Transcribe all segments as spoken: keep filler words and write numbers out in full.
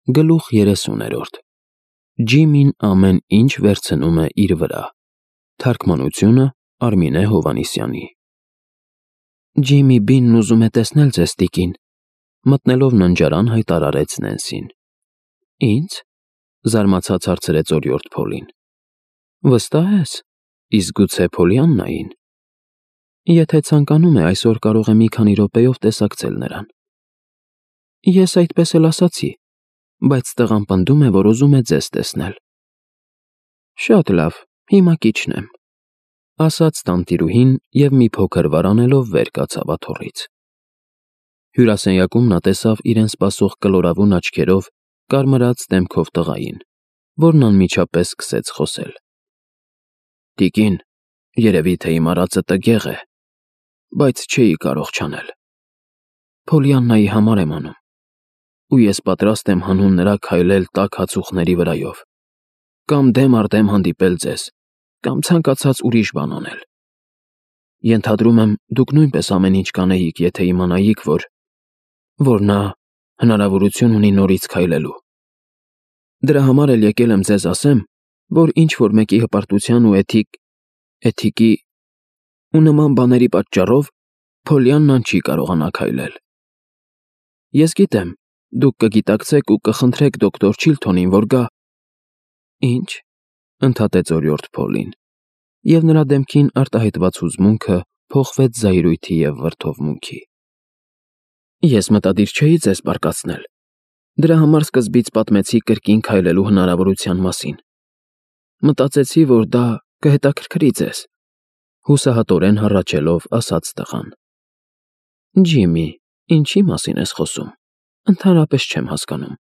Գլուխ երեսուներորդ Ջիմին ամեն ինչ վերցնում է իր վրա։ Թարգմանությունը Արմինե Հովհաննիսյանի։ Ջիմի Բինն ուզում է տեսնել ձեզ, տիկին, մտնելով ննջարան հայտարարեց Նենսին։ Ինձ, զարմացած հարցրեց օրիորդ Փոլին։ Վստահ ես, իսկ գուցե Փոլիաննային։ Եթե ցանկանում է, այսօր կարող է մի քանի րոպեով տեսակցել նրան։ Ես այդպես էլ ասացի, բայց տղան պնդում է, որ ուզում է ձեզ տեսնել։ Շատ լավ, հիմա կիջնեմ, ասաց տանտիրուհին և մի փոքր վարանելով վեր կացավ աթոռից։ Հյուրասենյակում նա տեսավ իրեն սպասող կլորավուն աչքերով կարմրած դեմքով տղային, որն անմիջապես սկսեց խոսել։ Տիկին, երևի թե իմ արածը տգեղ է, բայց չէի կարող չանել։ Փոլիաննայի համար եմ անում, ու ես պատրաստ եմ հանուն նրա քայլել տաք հացուխների վրայով, կամ դեմ առ դեմ հանդիպել ձեզ, կամ ցանկացած ուրիշ բան անել։ Ենթադրում եմ, դուք նույնպես ամեն ինչ կանեիք, եթե իմանայիք, որ որ նա հնարավորություն ունի նորից քայլելու։ Դրա համար էլ եկել եմ ձեզ ասեմ, որ ինչ-որ մեկի հպարտության ու էթիկ էթիկի ու նման բաների պատճառով Փոլիաննան չի կարողանա քայլել։ Ես գիտեմ, դուք կգիտակցեք ու կխնդրեք դոկտոր Չիլթոնին, որ գա։ Ինչ, ընդհատեց օրիորդ Փոլին, և նրա դեմքին արտահայտված հուզմունքը փոխվեց զայրույթի և վրդովմունքի։ Ես մտադիր չէի ձեզ բարկացնել։ Դրա համար սկզբից պատմեցի կրկին քայլելու հնարավորության մասին։ Մտածեցի, որ դա կհետաքրքրի ձեզ, հուսահատորեն հառաչելով ասաց տղան։ Ջիմի, ինչի մասին ես խոսում, ընդհանրապես չեմ հասկանում։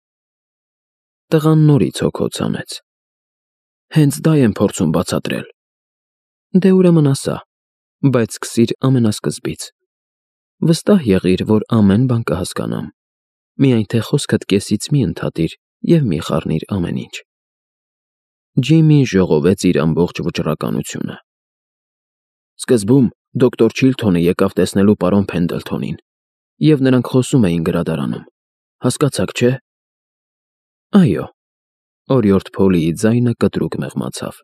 Տղան նորից հոգոց հանեց։ Հենց դա եմ փորձում բացատրել։ Դե ուրեմն ասա, բայց սկսիր ամենասկզբից։ Վստահ եղիր, որ ամեն բան կհասկանամ, միայն թե խոսքդ կեսից մի ընդհատիր և մի խառնիր ամեն ինչ։ Ջիմին ժողովեց իր ամբողջ վճռականությունը։ Սկզբում դոկտոր Չիլթոնը եկավ տեսնելու պարոն Փենդլթոնին, և նրանք խոսում էին գրադարանում, հասկացաք, չէ։ Այո, օրիորդ Փոլիի ձայնը կտրուկ մեղմացավ։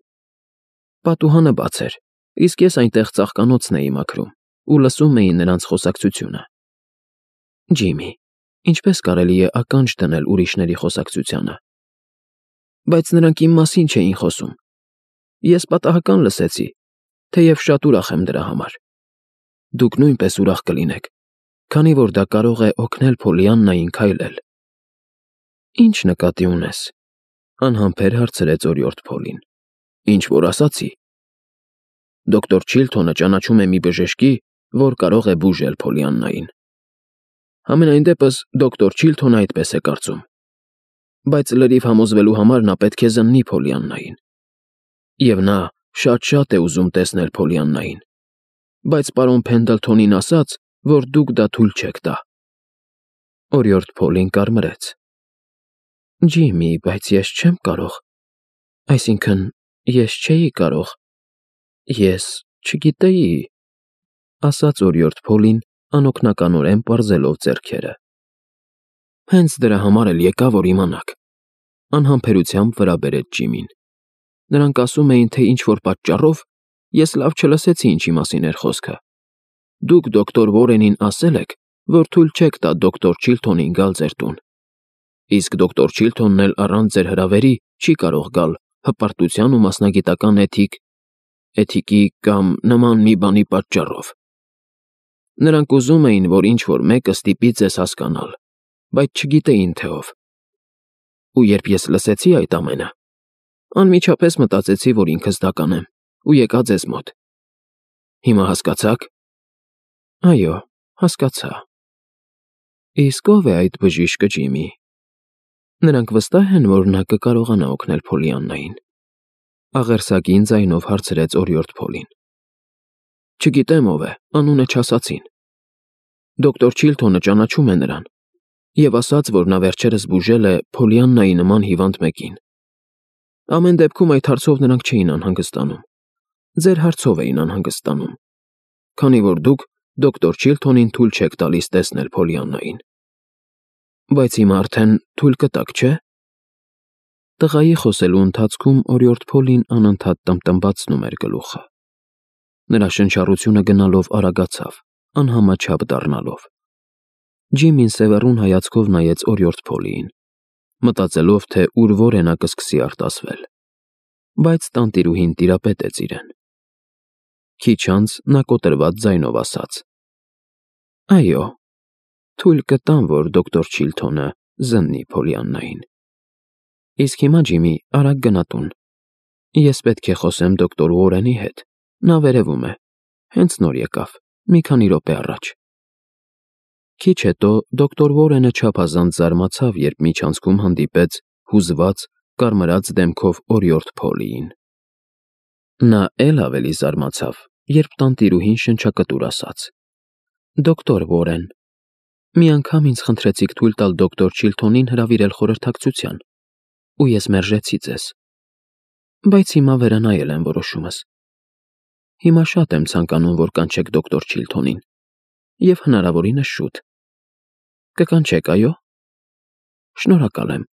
Պատուհանը բաց էր, իսկ ես այնտեղ ծաղկանոցն էի մաքրում ու լսում էի նրանց խոսակցությունը։ Ջիմի, ինչպես կարելի է ականջ դնել ուրիշների խոսակցությանը։ Բայց նրանք իմ մասին չէին խոսում։ Ես պատահական լսեցի, թեև շատ ուրախ եմ դրա համար։ Դուք նույնպես ուրախ կլինեք, քանի որ դա կարող է օգնել Փոլիաննային քայլել։ Ինչ նկատի ունես, անհամբեր հարցրեց օրիորդ Փոլին։ Ինչ որ ասացի։ Դոկտոր Չիլթոնը ճանաչում է մի բժշկի, որ կարող է բուժել Փոլիաննային։ Համենայն դեպս դոկտոր Չիլթոնը այդպես է կարծում։ Բայց լրիվ համոզվելու համար նա պետք է զննի Փոլիաննային։ Եվ նա շատ-շատ է ուզում տեսնել Փոլիաննային, բայց պարոն Փենդլթոնին ասաց, որ դուք դա թույլ չեք տա։ Օրիորդ Փոլին կարմրեց։ Ջիմի, բայց ես չեմ կարող, այսինքն, ես չէի կարող, ես չգիտեի, ասաց օրիորդ Փոլին անօգնականորեն պարզելով ձեռքերը։ Հենց դրա համար էլ եկա, որ իմանաք, անհամբերությամբ վրա բերեց Ջիմին։ Նրանք ասում էին, թե ինչ-որ պատճառով ես լավ չլսեցի ինչի մասին էր խոսքը։ Դուք դոկտոր Վորենին ասել եք, որ թույլ չեք տա դոկտոր Չիլթոնին գալ ձեր տուն։ Իսկ դոկտոր Չիլթոնն էլ առանց ձեր հրավերի չի կարող գալ հպարտության ու մասնագիտական էթիկ էթիկի կամ նման մի բանի պատճառով։ Նրանք ուզում էին, որ ինչ-որ մեկը ստիպի ձեզ հասկանալ, բայց չգիտեին թե ով։ Ու երբ ես լսեցի այդ ամենը, անմիջապես մտածեցի, որ ինքս դա կանեմ, ու եկա ձեզ մոտ։ Հիմա հասկացա՞ք։ Այո, հասկացա։ Իսկ ով է այդ բժիշկը, Ջիմի։ Նրանք վստահ են, որ նա կկարողանա օգնել Փոլիաննային։ Աղերսագին ձայնով հարցրեց օրիորդ Փոլին։ Չգիտեմ ով է, անունը չասացին։ Դոկտոր Չիլթոնը ճանաչում է նրան և ասաց, որ նա վերջերս բուժել է Փոլիաննայի նման հիվանդ մեկին։ Ամեն դեպքում այդ հարցով նրանք չէին անհանգստանում։ Ձեր հարցով էին անհանգստանում, քանի որ դուք դոկտոր Չիլթոնին թույլ չեք տալիս տեսնել Փոլիաննային։ Բայց հիմա արդեն թույլ կտաք, չէ։ Տղայի խոսելու ընթացքում օրիորդ Փոլին անընդհատ տմտմբացնում էր գլուխը։ Նրա շնչառությունը գնալով արագացավ, անհամաչափ դառնալով։ Ջիմին սևեռուն հայացքով նայեց օրիորդ Փոլիին, մտածելով, թե ուր որենա կսկսի արտասվել, բայց տանտիրուհին տիրապետեց իրեն։ Քիչ անց նա կոտրված ձայնով ասաց. «Այո, թույլ կտամ, որ դոկտոր Չիլթոնը զննի Փոլիաննային։ Իսկ հիմա, Ջիմի, արագ գնա տուն։ Ես պետք է խոսեմ դոկտոր Ուորենի հետ, նա վերևում է, հենց նոր եկավ, մի քանի րոպե առաջ»։ Քիչ հետո դոկտոր Ուորենը չափազանց զարմացավ, երբ միջանցքում հանդիպեց հուզված, կարմրած դեմքով օրիորդ Փոլիին։ Նա էլ ավելի զարմացավ, երբ տանտիրուհին շնչակտուր ասաց. «Դոկտոր Ուորեն, մի անգամ ինձ խնդրեցիք թույլ տալ դոկտոր Չիլթոնին հրավիրել խորհրդակցության, ու ես մերժեցի ձեզ, բայց հիմա վերանայել եմ որոշումս։ Հիմա շատ եմ ցանկանում, որ կանչեք դոկտոր Չիլթոնին, և հնարավորինս շուտ։ Կկանչեք, այո՞։ Շնորհակալ եմ»։